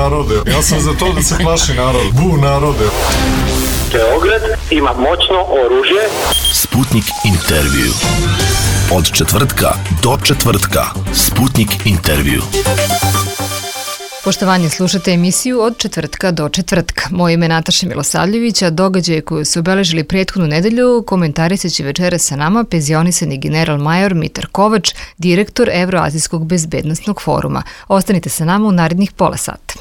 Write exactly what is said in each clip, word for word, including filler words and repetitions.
narode. Ja sam za to da se plaši narod. Bu narode. Beograd ima moćno oružje. Sputnik intervju. Od četvrtka do četvrtka. Sputnik intervju. Poštovanje, slušate emisiju Od četvrtka do četvrtka. Moje ime je Nataša Milosavljević, a događaje koju su obeležili prethodnu nedelju komentarisat će večera sa nama penzionisani general major Mitar Kovač, direktor Evroazijskog bezbednosnog foruma. Ostanite sa nama u narednih pola sata.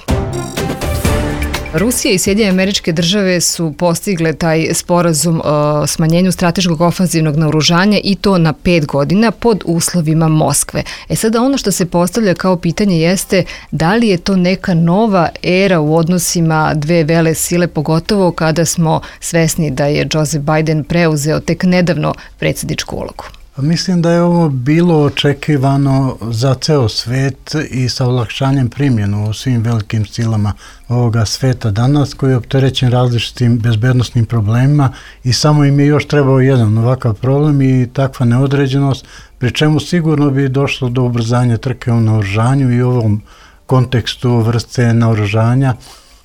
Rusija i Sjedinjene Američke Države su postigle taj sporazum o smanjenju strateškog ofanzivnog naoružanja i to na pet godina pod uslovima Moskve. E sada ono što se postavlja kao pitanje jeste da li je to neka nova era u odnosima dve vele sile, pogotovo kada smo svesni da je Joseph Biden preuzeo tek nedavno predsjedničku ulogu. Mislim da je ovo bilo očekivano za ceo svet i sa olakšanjem primjenu u svim velikim silama ovoga sveta danas, koji je opterećen različitim bezbednosnim problemima i samo im je još trebao jedan ovakav problem i takva neodređenost, pri čemu sigurno bi došlo do ubrzanja trke u naoružanju i u ovom kontekstu vrste naoružanja,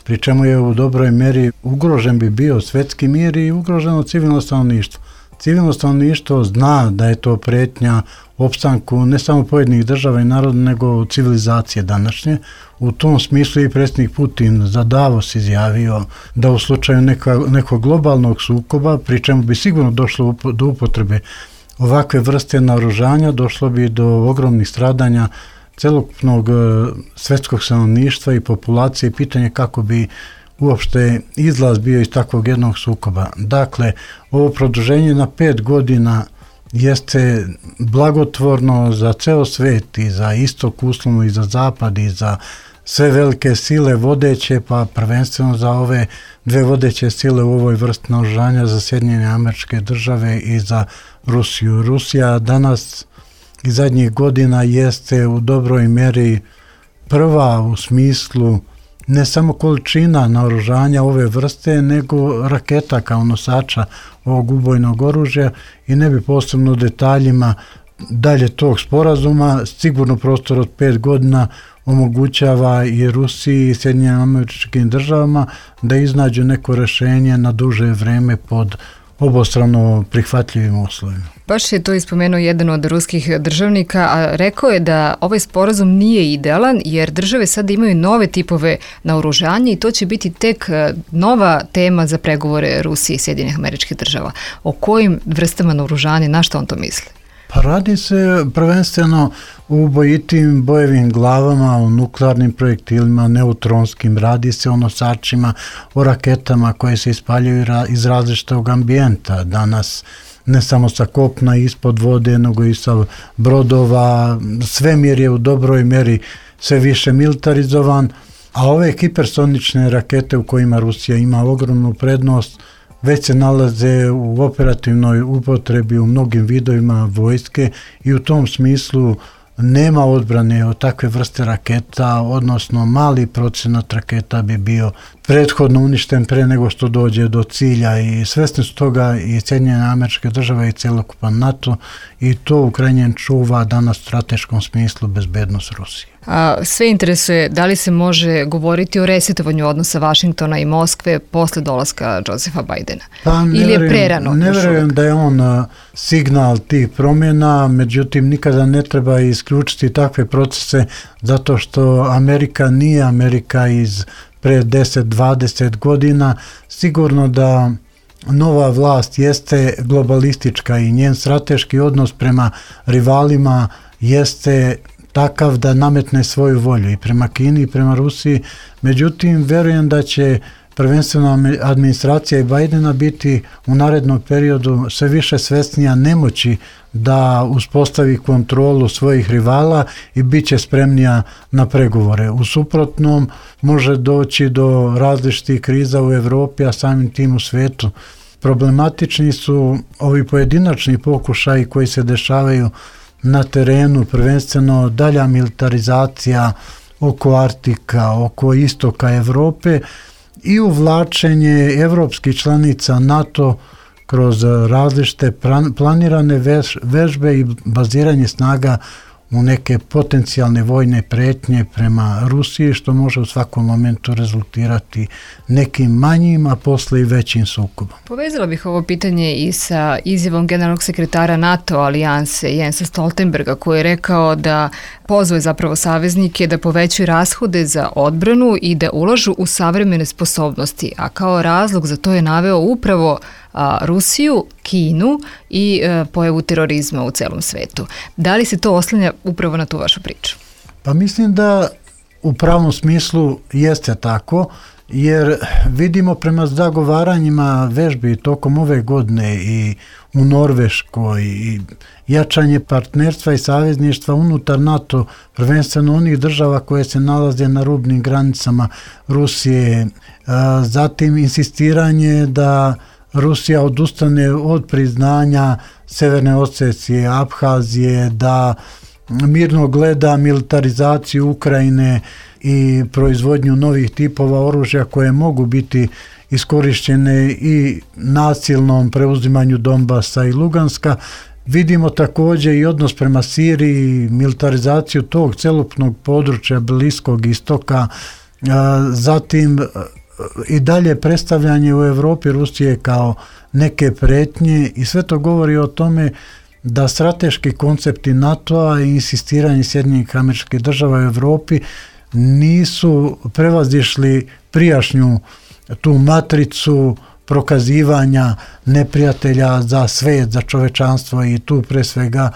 pri čemu je u dobroj meri ugrožen bi bio svetski mir i ugroženo civilno stanovništvo. Civilno stanovništvo zna da je to pretnja opstanku ne samo pojedinih država i naroda, nego civilizacije današnje. U tom smislu i predsjednik Putin za Davos izjavio da u slučaju neka, nekog globalnog sukoba, pri čemu bi sigurno došlo do upotrebe ovakve vrste naoružanja, došlo bi do ogromnih stradanja celokupnog svetskog stanovništva i populacije i pitanje kako bi uopšte izlaz bio iz takvog jednog sukoba. Dakle, ovo produženje na pet godina jeste blagotvorno za ceo svet i za istok uslovno i za zapad i za sve velike sile vodeće, pa prvenstveno za ove dve vodeće sile u ovoj vrsti naoružanja, za Sjedinjene Američke Države i za Rusiju. Rusija danas i zadnjih godina jeste u dobroj meri prva u smislu ne samo količina naoružanja ove vrste, nego raketa kao nosača ovog ubojnog oružja i ne bi posebno detaljima dalje tog sporazuma. Sigurno prostor od pet godina omogućava i Rusiji i Sjedinjenim Američkim Državama da iznađu neko rješenje na duže vreme pod obostrano prihvatljivim uslovima. Baš je to ispomenuo jedan od ruskih državnika, a rekao je da ovaj sporazum nije idealan jer države sad imaju nove tipove naoružanja i to će biti tek nova tema za pregovore Rusije i Sjedinjenih Američkih Država. O kojim vrstama naoružanja, na što on to misli? Pa radi se prvenstveno u ubojitim bojevim glavama, o nuklearnim projektilima, neutronskim, radi se o nosačima, o raketama koje se ispaljaju iz različitog ambijenta. Danas ne samo sa kopna ispod vode, nego i sa brodova. Svemir je u dobroj meri sve više militarizovan, a ove hipersonične rakete u kojima Rusija ima ogromnu prednost već se nalaze u operativnoj upotrebi u mnogim vidovima vojske i u tom smislu nema odbrane od takve vrste raketa, odnosno mali procenat raketa bi bio prethodno uništen pre nego što dođe do cilja i svesni su toga i Sjedinjene Američke Države i celokupan NATO i to u krajnjem čuva danas u strateškom smislu bezbednost Rusije. A sve interesuje da li se može govoriti o resetovanju odnosa Vašingtona i Moskve posle dolaska Josepha Bidena? Pa, ili je prerano? Ne verujem da je on signal tih promjena, međutim nikada ne treba isključiti takve procese zato što Amerika nije Amerika iz pre deset dvadeset godina. Sigurno da nova vlast jeste globalistička i njen strateški odnos prema rivalima jeste takav da nametne svoju volju i prema Kini i prema Rusiji. Međutim, verujem da će prvenstveno administracija i Bidena biti u narednom periodu sve više svesnija nemoći da uspostavi kontrolu svojih rivala i bit će spremnija na pregovore. U suprotnom može doći do različitih kriza u Evropi, a samim tim u svetu. Problematični su ovi pojedinačni pokušaji koji se dešavaju na terenu, prvenstveno dalja militarizacija oko Arktika, oko istoka Evrope i uvlačenje evropskih članica NATO kroz različite planirane vežbe i baziranje snaga u neke potencijalne vojne pretnje prema Rusiji, što može u svakom momentu rezultirati nekim manjim, a posle i većim sukobom. Povezala bih ovo pitanje i sa izjavom generalnog sekretara NATO alijanse Jensa Stoltenberga, koji je rekao da pozove zapravo saveznike da povećaju rashode za odbranu i da ulažu u savremene sposobnosti, a kao razlog za to je naveo upravo a, Rusiju, Kinu i a, pojavu terorizma u celom svetu. Da li se to oslanja upravo na tu vašu priču? Pa mislim da u pravom smislu jeste tako, jer vidimo prema zagovaranjima vežbi tokom ove godine i u Norveškoj i jačanje partnerstva i savezništva unutar NATO, prvenstveno onih država koje se nalaze na rubnim granicama Rusije, zatim insistiranje da Rusija odustane od priznanja Severne Osecije, Abhazije, da mirno gleda militarizaciju Ukrajine i proizvodnju novih tipova oružja koje mogu biti iskorišćene i nasilnom preuzimanju Donbasa i Luganska. Vidimo također i odnos prema Siriji, militarizaciju tog celokupnog područja Bliskog istoka, zatim i dalje predstavljanje u Evropi Rusije kao neke pretnje, i sve to govori o tome da strateški koncepti NATO-a i insistiranje Sjedinjenih Američkih Država u Evropi nisu prevazišli prijašnju tu matricu prokazivanja neprijatelja za svet, za čovečanstvo, i tu pre svega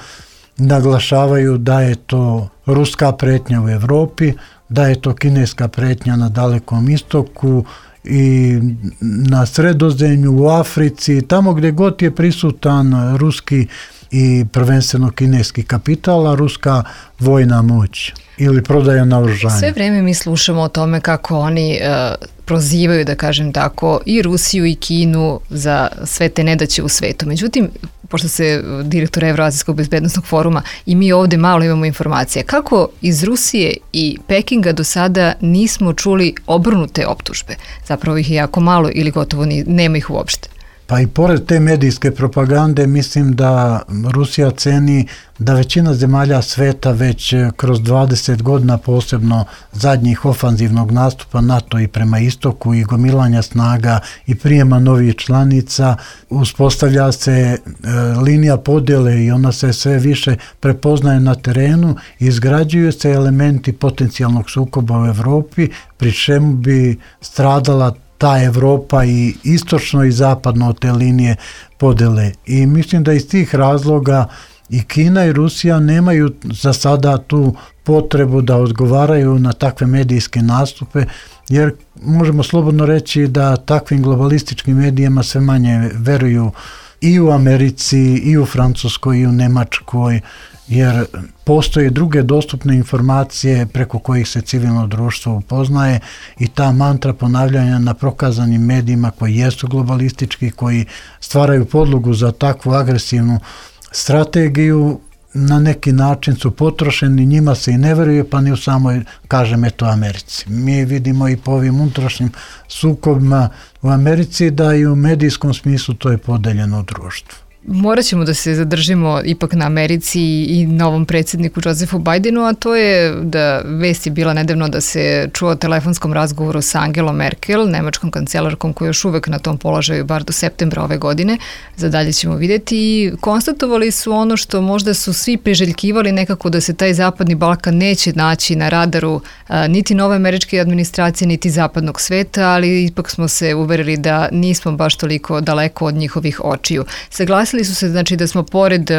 naglašavaju da je to ruska pretnja u Evropi, da je to kineska pretnja na Dalekom istoku i na Sredozemlju, u Africi, tamo gdje god je prisutan ruski i prvenstveno kineski kapital, a ruska vojna moć ili prodaja naoružanja. Sve vrijeme mi slušamo o tome kako oni uh, prozivaju, da kažem tako, i Rusiju i Kinu za sve te nedaće u svetu. Međutim, pošto se direktor Evroazijskog bezbednostnog foruma i mi ovdje malo imamo informacije, kako iz Rusije i Pekinga do sada nismo čuli obrnute optužbe? Zapravo ih je jako malo ili gotovo ni, nema ih uopšte. Pa i pored te medijske propagande, mislim da Rusija ceni da većina zemalja sveta već kroz dvadeset godina, posebno zadnjih ofanzivnog nastupa NATO i prema istoku i gomilanja snaga i prijema novih članica, uspostavlja se e, linija podjele i ona se sve više prepoznaje na terenu, izgrađuju se elementi potencijalnog sukoba u Evropi, pri čemu bi stradala ta Evropa i istočno i zapadno od te linije podele. I mislim da iz tih razloga i Kina i Rusija nemaju za sada tu potrebu da odgovaraju na takve medijske nastupe, jer možemo slobodno reći da takvim globalističkim medijima sve manje veruju i u Americi, i u Francuskoj, i u Nemačkoj, jer postoje druge dostupne informacije preko kojih se civilno društvo upoznaje, i ta mantra ponavljanja na prokazanim medijima koji jesu globalistički, koji stvaraju podlogu za takvu agresivnu strategiju, na neki način su potrošeni, njima se i ne veruje, pa ni u samoj, kažem, eto, Americi. Mi vidimo i po ovim unutrašnjim sukobima u Americi da i u medijskom smislu to je podeljeno društvo. Morat ćemo da se zadržimo ipak na Americi i novom predsjedniku Josefu Bidenu, a to je da vest je bila nedavno da se čuo o telefonskom razgovoru sa Angelom Merkel, nemačkom kancelarkom koja je još uvek na tom položaju bar do septembra ove godine. Za dalje ćemo vidjeti, i konstatovali su ono što možda su svi priželjkivali, nekako da se taj zapadni Balkan neće naći na radaru a, niti nove američke administracije, niti zapadnog sveta, ali ipak smo se uverili da nismo baš toliko daleko od njihovih očiju. Saglasili su se, znači, da smo pored uh,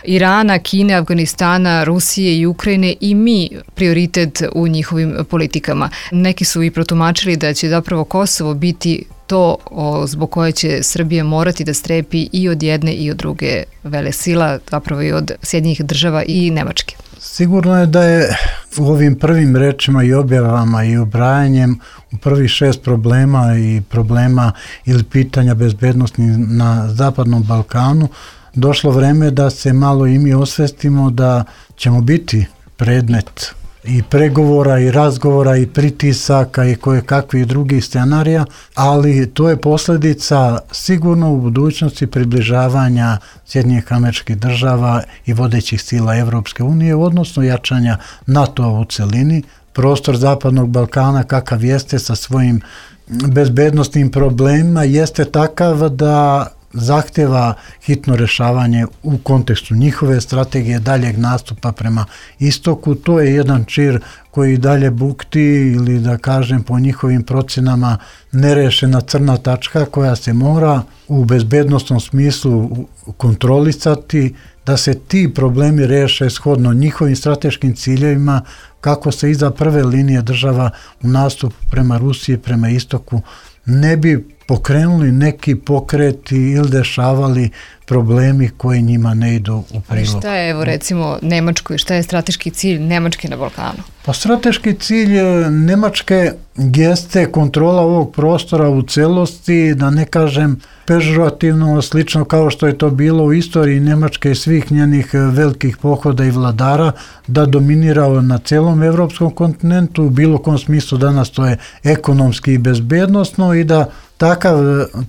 Irana, Kine, Afganistana, Rusije i Ukrajine i mi prioritet u njihovim politikama. Neki su i protumačili da će zapravo Kosovo biti to o, zbog koje će Srbija morati da strepi i od jedne i od druge velesila, zapravo i od Sjedinjenih Država i Nemačke. Sigurno je da je u ovim prvim rečima i objavama i ubrajanjem u prvih šest problema i problema ili pitanja bezbednosti na Zapadnom Balkanu došlo vreme da se malo i mi osvestimo da ćemo biti predmet i pregovora i razgovora i pritisaka i koje kakvih drugih scenarija, ali to je posljedica sigurno u budućnosti približavanja Sjedinjenih Američkih Država i vodećih sila Evropske unije, odnosno jačanja NATO-a u celini. Prostor Zapadnog Balkana kakav jeste sa svojim bezbednostnim problemima jeste takav da zahtjeva hitno rješavanje u kontekstu njihove strategije daljeg nastupa prema istoku. To je jedan čir koji dalje bukti ili da kažem po njihovim procjenama nerešena crna tačka koja se mora u bezbednostnom smislu kontrolisati, da se ti problemi reše shodno njihovim strateškim ciljevima kako se iza prve linije država u nastupu prema Rusiji, prema istoku ne bi pokrenuli neki pokreti ili dešavali problemi koji njima ne idu u prilog. Ali šta je, evo recimo, Nemačkoj, šta je strateški cilj Nemačke na Balkanu? Pa strateški cilj Nemačke jeste kontrola ovog prostora u celosti, da ne kažem pežorativno, slično kao što je to bilo u istoriji Nemačke i svih njenih velikih pohoda i vladara, da dominira na celom evropskom kontinentu, u bilo kom smislu danas to je ekonomski i bezbednosno i da takav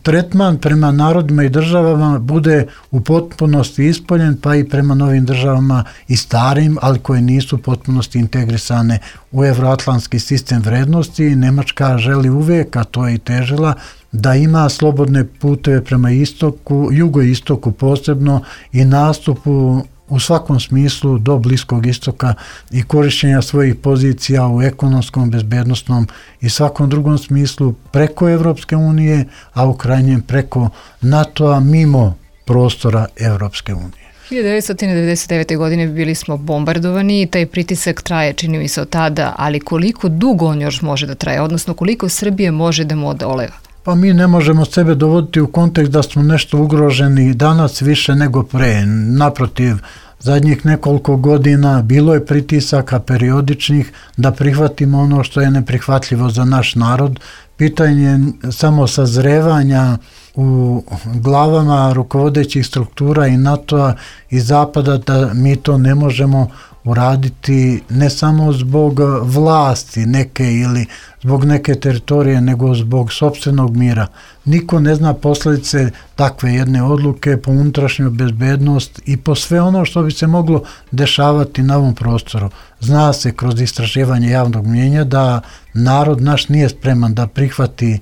tretman prema narodima i državama bude u potpunosti ispoljen, pa i prema novim državama i starim, ali koje nisu u potpunosti integrisane u evroatlantski sistem vrednosti. Nemačka želi uvijek, a to je i težila, da ima slobodne puteve prema istoku, jugoistoku posebno i nastupu u svakom smislu do Bliskog istoka i korišćenja svojih pozicija u ekonomskom, bezbednostnom i svakom drugom smislu preko Evropske unije, a u krajnjem preko NATO-a mimo prostora Evropske unije. hiljadu devetsto devedeset devete. godine bili smo bombardovani i taj pritisak traje, čini mi se, od tada, ali koliko dugo on još može da traje, odnosno koliko Srbije može da mu odoleva? Pa mi ne možemo sebe dovoditi u kontekst da smo nešto ugroženi danas više nego pre. Naprotiv, zadnjih nekoliko godina bilo je pritisaka periodičnih da prihvatimo ono što je neprihvatljivo za naš narod. Pitanje samo sazrevanja u glavama rukovodećih struktura i NATO-a i Zapada da mi to ne možemo uraditi ne samo zbog vlasti neke ili zbog neke teritorije, nego zbog sopstvenog mira. Niko ne zna posljedice takve jedne odluke po unutrašnju bezbednost i po sve ono što bi se moglo dešavati na ovom prostoru. Zna se kroz istraživanje javnog mnjenja da narod naš nije spreman da prihvati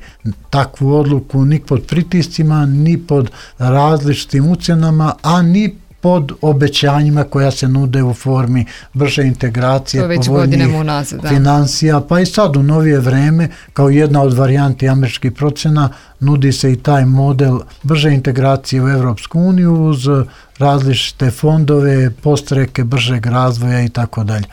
takvu odluku ni pod pritiscima, ni pod različitim ucjenama, a ni pod obećanjima koja se nude u formi brže integracije, povoljnijih financija, pa i sad u novije vreme, kao jedna od varijanti američkih procena, nudi se i taj model brže integracije u Evropsku uniju uz različite fondove, postreke bržeg razvoja i tako dalje.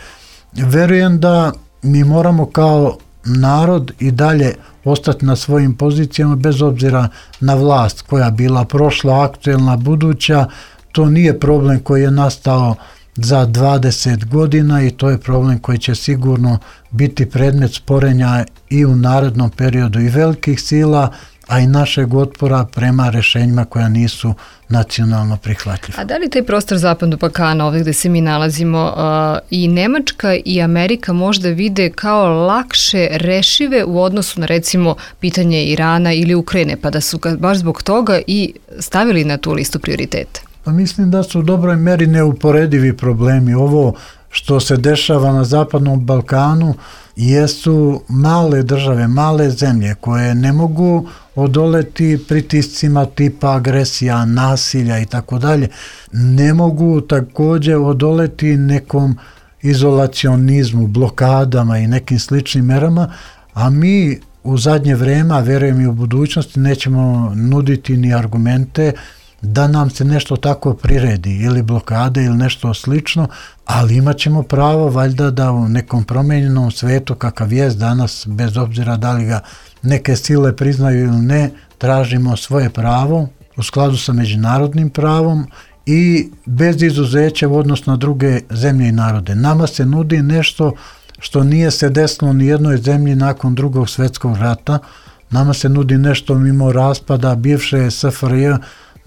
Verujem da mi moramo kao narod i dalje ostati na svojim pozicijama bez obzira na vlast koja bila prošla, aktuelna, buduća. To nije problem koji je nastao za dvadeset godina i to je problem koji će sigurno biti predmet sporenja i u narednom periodu i velikih sila, a i našeg otpora prema rešenjima koja nisu nacionalno prihvatljiva. A da li taj prostor Zapadnog Balkana, ovdje gde se mi nalazimo, uh, i Nemačka i Amerika možda vide kao lakše rešive u odnosu na recimo pitanje Irana ili Ukrajine, pa da su baš zbog toga i stavili na tu listu prioriteta? Pa mislim da su u dobroj meri neuporedivi problemi. Ovo što se dešava na Zapadnom Balkanu jesu male države, male zemlje koje ne mogu odoleti pritiscima tipa agresija, nasilja i tako dalje. Ne mogu također odoleti nekom izolacionizmu, blokadama i nekim sličnim merama, a mi u zadnje vreme, a verujem i u budućnosti, nećemo nuditi ni argumente da nam se nešto tako priredi ili blokade ili nešto slično, ali imat ćemo pravo valjda da u nekom promijenjenom svetu kakav je danas, bez obzira da li ga neke sile priznaju ili ne, tražimo svoje pravo u skladu sa međunarodnim pravom i bez izuzeća u odnosu na druge zemlje i narode. Nama se nudi nešto što nije se desilo ni jednoj zemlji nakon drugog svjetskog rata. Nama se nudi nešto mimo raspada bivše S F R J,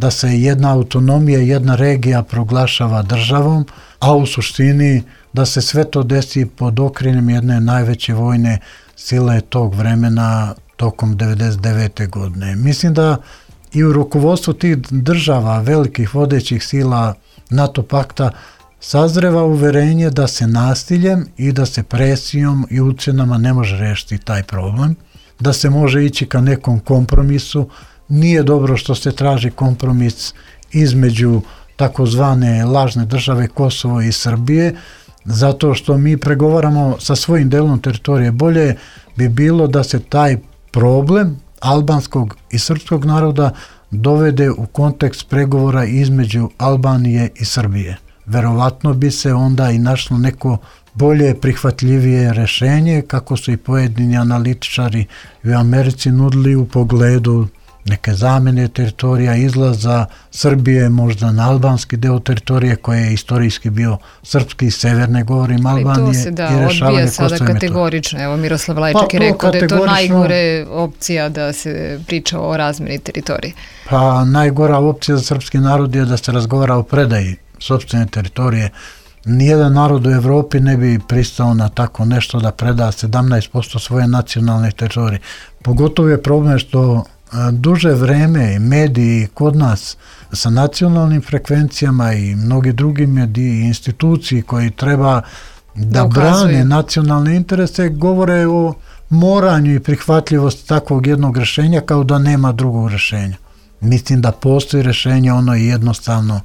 da se jedna autonomija, jedna regija proglašava državom, a u suštini da se sve to desi pod okriljem jedne najveće vojne sile tog vremena tokom devedeset devete. godine. Mislim da i u rukovodstvu tih država, velikih vodećih sila NATO pakta, sazreva uverenje da se nasiljem i da se presijom i ucenama ne može rešiti taj problem, da se može ići ka nekom kompromisu. Nije dobro što se traži kompromis između takozvane lažne države Kosovo i Srbije, zato što mi pregovaramo sa svojim delom teritorije. Bolje bi bilo da se taj problem albanskog i srpskog naroda dovede u kontekst pregovora između Albanije i Srbije. Verovatno bi se onda i našlo neko bolje prihvatljivije rešenje, kako su i pojedini analitičari u Americi nudili u pogledu neke zamene teritorija, izlaza Srbije možda na albanski deo teritorije koji je istorijski bio srpski i severne, govorim Albanije, to se da i rešavanje odbija sada Kosova i Metohije. kategorično. Evo Miroslav Lajčak Pa, je rekao da je to kategorično- najgore opcija da se priča o razmeni teritorije. Pa najgora opcija za srpski narod je da se razgovara o predaji sopstvene teritorije. Nijedan narod u Evropi ne bi pristao na tako nešto da preda sedamnaest posto svoje nacionalne teritorije. Pogotovo je problem što a, duže vreme mediji kod nas sa nacionalnim frekvencijama i mnogi drugi mediji i instituciji koji treba da, Da ukazuju. brane nacionalne interese govore o moranju i prihvatljivosti takvog jednog rešenja kao da nema drugog rešenja. Mislim da postoji rešenje, ono je jednostavno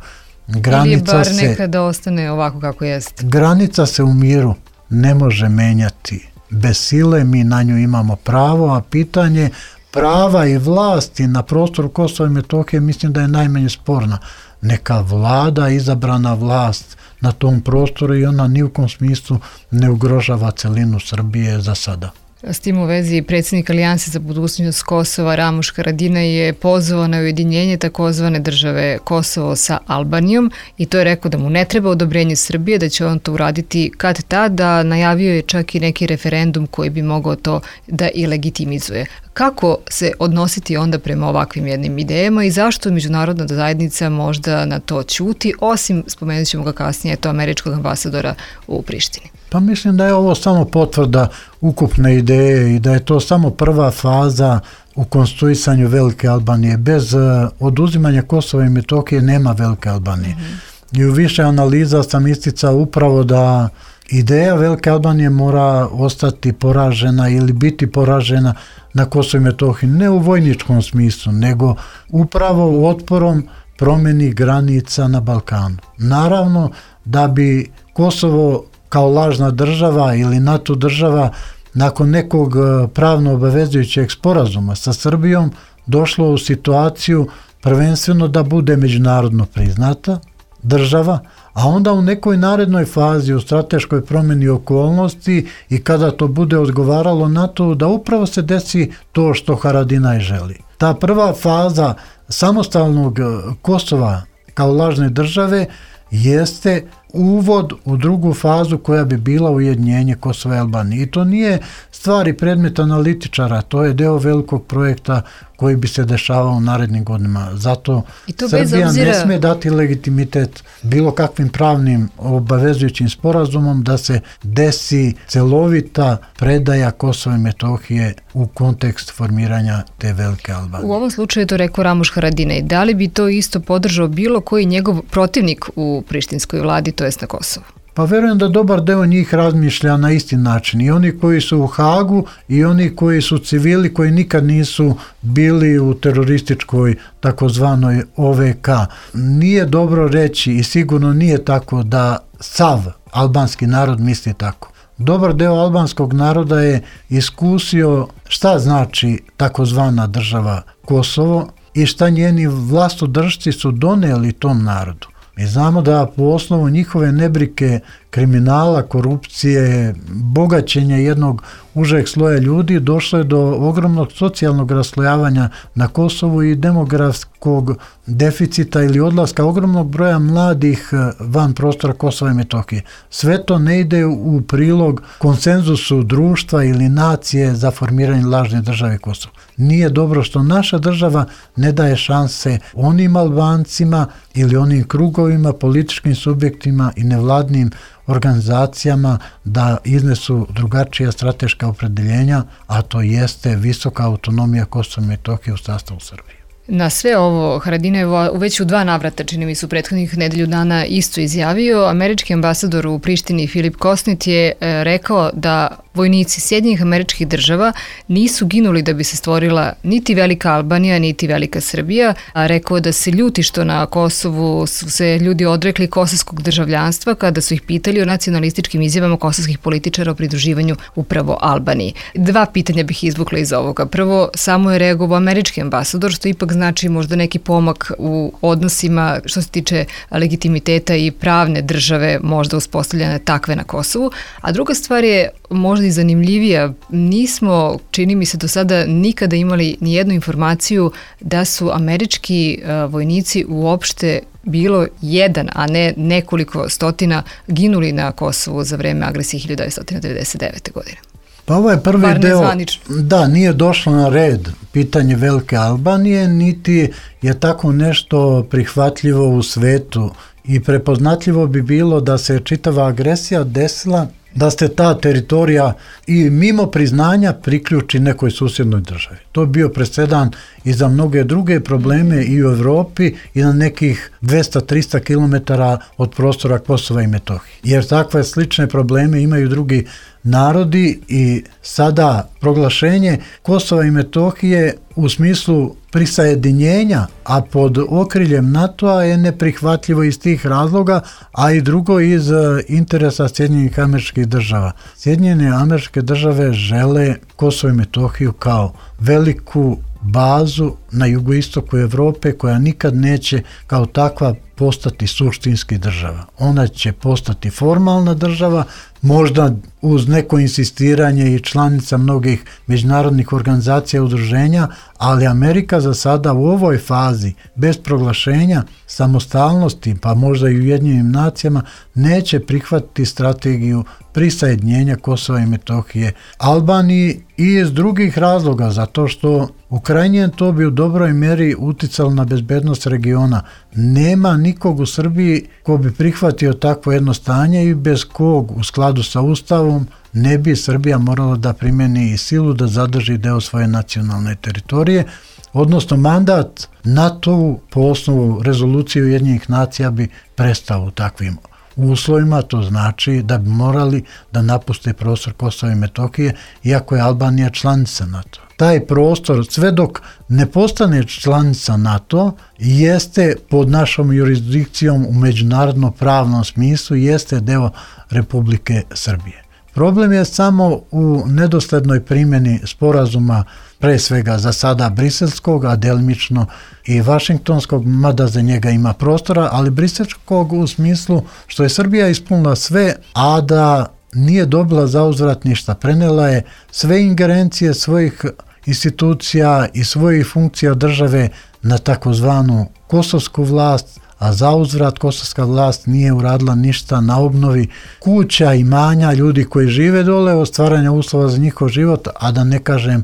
granica Ili je bar se, nekada ostane ovako kako jeste. granica se u miru ne može menjati. Bez sile mi na nju imamo pravo, a pitanje prava i vlasti na prostoru Kosova i Metohije mislim da je najmanje sporna. Neka vlada, izabrana vlast na tom prostoru i ona ni u kom smislu ne ugrožava celinu Srbije za sada. S tim u vezi predsjednik Alijanse za budućnost Kosova Ramuš Haradinaj je pozvao na ujedinjenje takozvane države Kosovo sa Albanijom i to je rekao da mu ne treba odobrenje Srbije, da će on to uraditi kad tada. Najavio je čak i neki referendum koji bi mogao to da i legitimizuje. Kako se odnositi onda prema ovakvim jednim idejama i zašto međunarodna zajednica možda na to ćuti, osim, spomenut ćemo ga kasnije, to američkog ambasadora u Prištini? Pa mislim da je ovo samo potvrda ukupne ideje i da je to samo prva faza u konstruisanju Velike Albanije. Bez uh, oduzimanja Kosova i Metohije nema Velike Albanije. Mm-hmm. I u više analiza sam isticao upravo da ideja Velike Albanije mora ostati poražena ili biti poražena na Kosovo i Metohiji, ne u vojničkom smislu, nego upravo otporom promjeni granica na Balkanu. Naravno da bi Kosovo kao lažna država ili NATO država nakon nekog pravno obavezujućeg sporazuma sa Srbijom došlo u situaciju prvenstveno da bude međunarodno priznata država, a onda u nekoj narednoj fazi u strateškoj promjeni okolnosti i kada to bude odgovaralo NATO, da upravo se desi to što Haradinaj želi. Ta prva faza samostalnog Kosova kao lažne države jeste uvod u drugu fazu koja bi bila ujedinjenje Kosova i Albanije. I to nije stvar i predmet analitičara, to je deo velikog projekta koji bi se dešavao u narednim godinama. Zato Srbija obzira... ne sme dati legitimitet bilo kakvim pravnim obavezujućim sporazumom da se desi celovita predaja Kosova i Metohije u kontekst formiranja te Velike Albanije. U ovom slučaju to rekao Ramuš Haradinaj. Da li bi to isto podržao bilo koji njegov protivnik u prištinskoj vladi, to jest na Kosovu? Pa verujem da dobar deo njih razmišlja na isti način. I oni koji su u Hagu i oni koji su civili koji nikad nisu bili u terorističkoj takozvanoj O V K. Nije dobro reći i sigurno nije tako da sav albanski narod misli tako. Dobar deo albanskog naroda je iskusio šta znači takozvana država Kosovo i šta njeni vlastodržci su doneli tom narodu. Mi znamo da po osnovu njihove nebrike, kriminala, korupcije, bogaćenja jednog užeg sloja ljudi došlo je do ogromnog socijalnog raslojavanja na Kosovu i demografskog deficita ili odlaska ogromnog broja mladih van prostora Kosova i Metohije. Sve to ne ide u prilog konsenzusu društva ili nacije za formiranje lažne države Kosova. Nije dobro što naša država ne daje šanse onim Albancima ili onim krugovima, političkim subjektima i nevladnim organizacijama da iznesu drugačija strateška opredeljenja, a to jeste visoka autonomija Kosova i Metohije u sastavu Srbije. Na sve ovo Haradinaj je već u dva navrata, čini mi su prethodnih nedelju dana, isto izjavio. Američki ambasador u Prištini Filip Kosnit je rekao da vojnici Sjedinjenih Američkih Država nisu ginuli da bi se stvorila niti velika Albanija, niti velika Srbija, a rekao da se ljuti što na Kosovu su se ljudi odrekli kosovskog državljanstva kada su ih pitali o nacionalističkim izjavama kosovskih političara o pridruživanju upravo Albaniji. Dva pitanja bih izvukla iz ovoga. Prvo, samo je reagovao američki ambasador, što ipak znači možda neki pomak u odnosima što se tiče legitimiteta i pravne države možda uspostavljene takve na Kosovu. A druga stvar je možda i zanimljivija. Nismo, čini mi se do sada, nikada imali ni jednu informaciju da su američki vojnici uopšte bilo jedan, a ne nekoliko stotina ginuli na Kosovu za vreme agresije hiljadu devetsto devedeset devete. godine. Pa ovo je prvi Bar deo, nezvanično. da, nije došlo na red pitanje Velike Albanije, niti je tako nešto prihvatljivo u svetu i prepoznatljivo bi bilo da se čitava agresija desila, da se ta teritorija i mimo priznanja priključi nekoj susjednoj državi. To je bio presedan i za mnoge druge probleme i u Evropi i na nekih dvesta do trista kilometara od prostora Kosova i Metohije. Jer takve slične probleme imaju drugi narodi i sada proglašenje Kosova i Metohije u smislu prisajedinjenja, a pod okriljem NATO-a je neprihvatljivo iz tih razloga, a i drugo iz interesa Sjedinjenih Američkih Država. Sjedinjene Američke Države žele Kosovo i Metohiju kao veliku bazu na jugoistoku Evrope koja nikad neće kao takva postati suštinski država. Ona će postati formalna država, možda uz neko insistiranje i članica mnogih međunarodnih organizacija i udruženja, ali Amerika za sada u ovoj fazi bez proglašenja samostalnosti, pa možda i u Ujedinjenim nacijama, neće prihvatiti strategiju prisajedinjenja Kosova i Metohije Albaniji i iz drugih razloga, zato što u krajnjem to bi u dobroj mjeri uticalo na bezbednost regiona. Nema nikog u Srbiji ko bi prihvatio takvo jedno stanje i bez kog u skladu sa Ustavom ne bi Srbija morala da primjeni i silu da zadrži deo svoje nacionalne teritorije, odnosno mandat NATO po osnovu rezolucije Ujedinjenih nacija bi prestao u takvim uslovima. To znači da bi morali da napuste prostor Kosova i Metohije, iako je Albanija članica NATO. Taj prostor, sve dok ne postane članica NATO, jeste pod našom jurisdikcijom u međunarodno pravnom smislu, jeste deo Republike Srbije. Problem je samo u nedoslednoj primjeni sporazuma, pre svega za sada briselskog, a delimično i vašingtonskog, mada za njega ima prostora, ali briselskog u smislu što je Srbija ispunila sve, a da nije dobila zauzvrat ništa. Prenela je sve ingerencije svojih institucija i svojih funkcija države na takozvanu kosovsku vlast, a zauzvrat kosovska vlast nije uradila ništa na obnovi kuća, imanja, ljudi koji žive dole, o stvaranja uslova za njihov život, a da ne kažem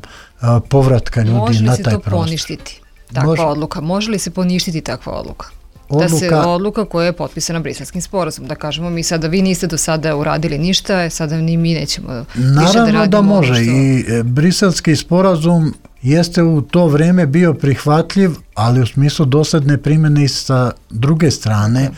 povratka ljudi na taj prostor. Može li se to poništiti, takva Može. odluka? Može li se poništiti takva odluka? Odluka, da se odluka koja je potpisana Briselskim sporazumom, da kažemo mi sada, vi niste do sada uradili ništa, sada ni mi nećemo više da radimo. Naravno da može što... i Briselski sporazum jeste u to vrijeme bio prihvatljiv, ali u smislu dosadne primjene i sa druge strane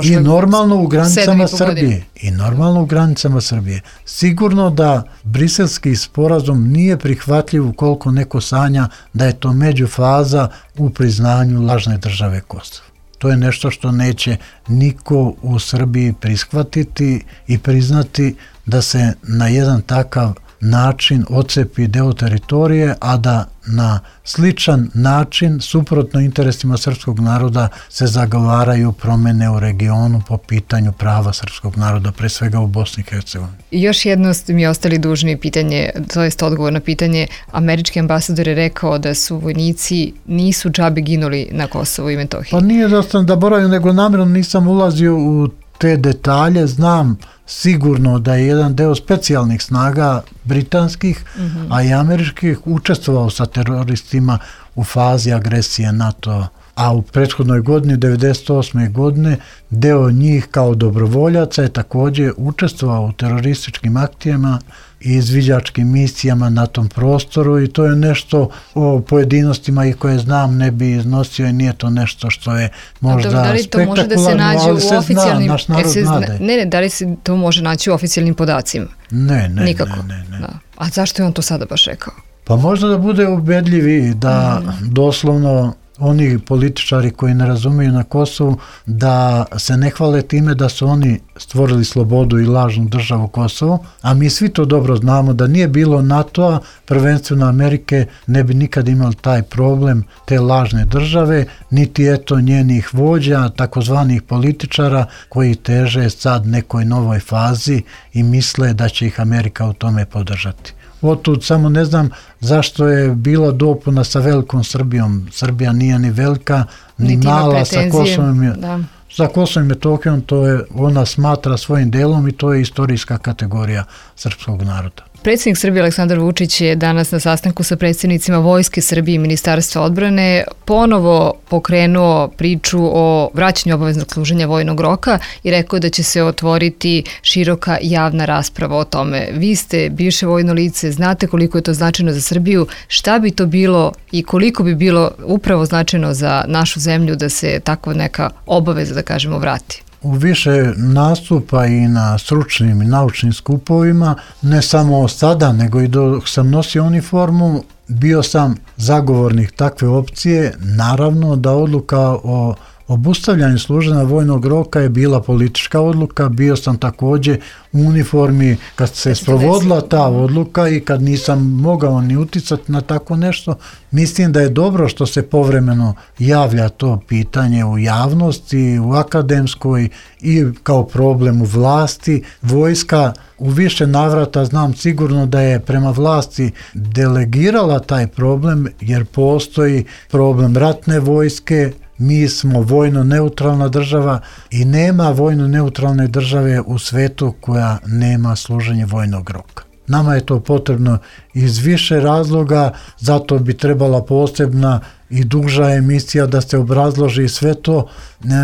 i normalno u granicama Srbije. I normalno u granicama Srbije. Sigurno da Briselski sporazum nije prihvatljiv ukoliko neko sanja da je to međufaza u priznanju lažne države Kosovo. To je nešto što neće niko u Srbiji prihvatiti i priznati, da se na jedan takav način odcepi deo teritorije, a da na sličan način, suprotno interesima srpskog naroda, se zagovaraju promjene u regionu po pitanju prava srpskog naroda, pre svega u Bosni i Hercegovini. I još jedno ste mi ostali dužni pitanje, to jest odgovor na pitanje. Američki ambasador je rekao da su vojnici nisu džabe ginuli na Kosovu i Metohiji. Pa nije da sam da boravim, nego namjerno nisam ulazio u te detalje. Znam sigurno da je jedan deo specijalnih snaga britanskih, mm-hmm. a i američkih učestvovao sa teroristima u fazi agresije NATO a u prethodnoj godini, devedeset osme godine, deo njih kao dobrovoljaca je također učestvovao u terorističkim akcijama i izviđačkim misijama na tom prostoru i to je nešto o pojedinostima i koje znam ne bi iznosio i nije to nešto što je možda da li to može da se nađe u oficijalnim zna, naš narod zna, ne, ne, da li se to može naći u oficijalnim podacima? Ne, ne, nikako. ne, ne, ne. Da. A zašto je on to sada baš rekao? Pa možda da bude ubedljivi da mm. doslovno oni političari koji ne razumiju na Kosovu da se ne hvale time da su oni stvorili slobodu i lažnu državu Kosovo, a mi svi to dobro znamo da nije bilo NATO-a, prvenstveno Amerike, ne bi nikad imali taj problem te lažne države, niti eto njenih vođa, takozvanih političara koji teže sad nekoj novoj fazi i misle da će ih Amerika u tome podržati. Otud samo ne znam zašto je bila dopuna sa velikom Srbijom. Srbija nije ni velika, ni niti mala, sa Kosovom, da. Za Kosovom i Metohijom to je, ona smatra svojim delom i to je istorijska kategorija srpskog naroda. Predsjednik Srbije Aleksandar Vučić je danas na sastanku sa predsjednicima Vojske Srbije i Ministarstva odbrane ponovo pokrenuo priču o vraćanju obaveznog služenja vojnog roka i rekao da će se otvoriti široka javna rasprava o tome. Vi ste bivše vojno lice, znate koliko je to značajno za Srbiju, šta bi to bilo i koliko bi bilo upravo značajno za našu zemlju da se takva neka obaveza, da kažemo, vrati? U više nastupa i na stručnim i naučnim skupovima, ne samo sada, nego i dok sam nosio uniformu, bio sam zagovornik takve opcije. Naravno da odluka o obustavljanju služenja vojnog roka je bila politička odluka, bio sam također u uniformi kad se sprovodila ta odluka i kad nisam mogao ni uticati na tako nešto. Mislim da je dobro što se povremeno javlja to pitanje u javnosti, u akademskoj i kao problem u vlasti. Vojska u više navrata znam sigurno da je prema vlasti delegirala taj problem jer postoji problem ratne vojske. Mi smo vojno neutralna država i nema vojno neutralne države u svetu koja nema služenje vojnog roka. Nama je to potrebno iz više razloga, zato bi trebala posebna i duža emisija da se obrazloži sve to.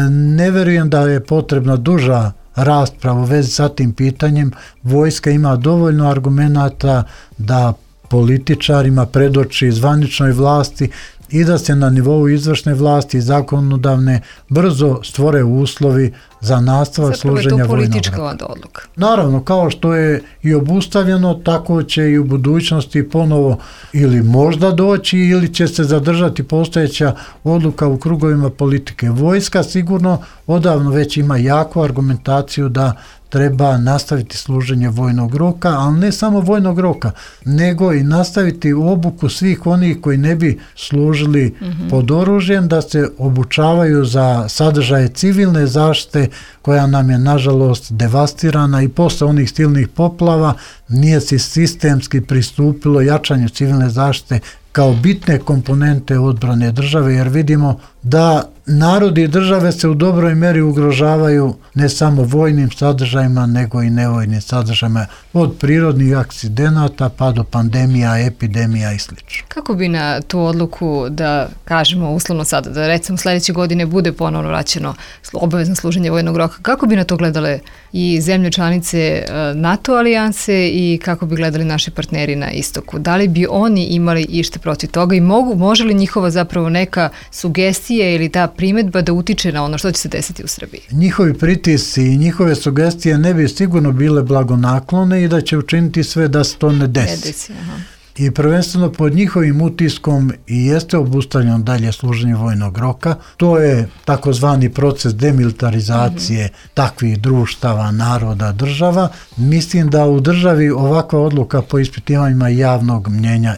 Ne verujem da je potrebna duža rasprava u vezi sa tim pitanjem. Vojska ima dovoljno argumenata da političarima predoči zvaničnoj vlasti i da se na nivou izvršne vlasti i zakonodavne brzo stvore uslovi za nastavak služenja vojnog roka. Zapravo je to politička odluka. Naravno, kao što je i obustavljeno, tako će i u budućnosti ponovo ili možda doći ili će se zadržati postojeća odluka u krugovima politike. Vojska sigurno odavno već ima jaku argumentaciju da treba nastaviti služenje vojnog roka, ali ne samo vojnog roka, nego i nastaviti obuku svih onih koji ne bi služili mm-hmm. pod oružjem, da se obučavaju za sadržaje civilne zaštite koja nam je nažalost devastirana i posle onih silnih poplava nije se sistemski pristupilo jačanju civilne zaštite kao bitne komponente odbrane države, jer vidimo da narodi i države se u dobroj meri ugrožavaju ne samo vojnim sadržajima, nego i nevojnim sadržajima, od prirodnih akcidenata pa do pandemija, epidemija i sl. Kako bi na tu odluku, da kažemo uslovno sada, da recimo sljedeće godine bude ponovno vraćeno obavezno služenje vojnog roka, kako bi na to gledale i zemlje članice NATO alijanse i kako bi gledali naši partneri na istoku? Da li bi oni imali ište protiv toga i mogu, može li njihova zapravo neka sugestija ili ta primjedba da utiče na ono što će se desiti u Srbiji? Njihovi pritisci i njihove sugestije ne bi sigurno bile blagonaklone i da će učiniti sve da se to ne desi. Ne desi, aha. I prvenstveno pod njihovim utiskom i jeste obustavljeno dalje služenje vojnog roka. To je takozvani proces demilitarizacije mm-hmm. takvih društava, naroda, država. Mislim da u državi ovakva odluka po ispitivanjima javnog mnjenja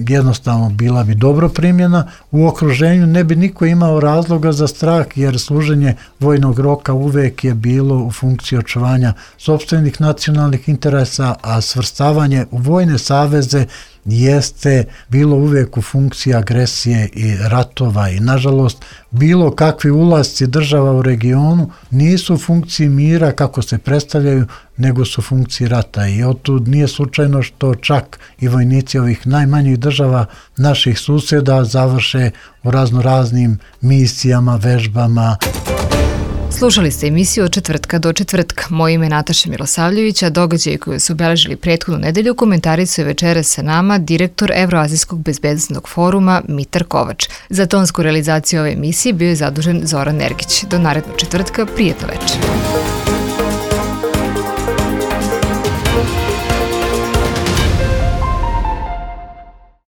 jednostavno bila bi dobro primjena. U okruženju ne bi niko imao razloga za strah jer služenje vojnog roka uvek je bilo u funkciji očuvanja sopstvenih nacionalnih interesa, a svrstavanje u vojne saveze jeste bilo uvijek u funkciji agresije i ratova i nažalost bilo kakvi ulasci država u regionu nisu u funkciji mira kako se predstavljaju, nego su funkciji rata i otud nije slučajno što čak i vojnici ovih najmanjih država naših susjeda završe u razno raznim misijama, vežbama. Slušali ste emisiju od četvrtka do četvrtka. Moje ime je Nataša Milosavljević, a događaje koje su obeležili prethodnu nedelju komentarisuje večeras sa nama direktor Evroazijskog bezbednosnog foruma Mitar Kovač. Za tonsku realizaciju ove emisije bio je zadužen Zoran Nergić. Do narednog četvrtka, prijetno večer.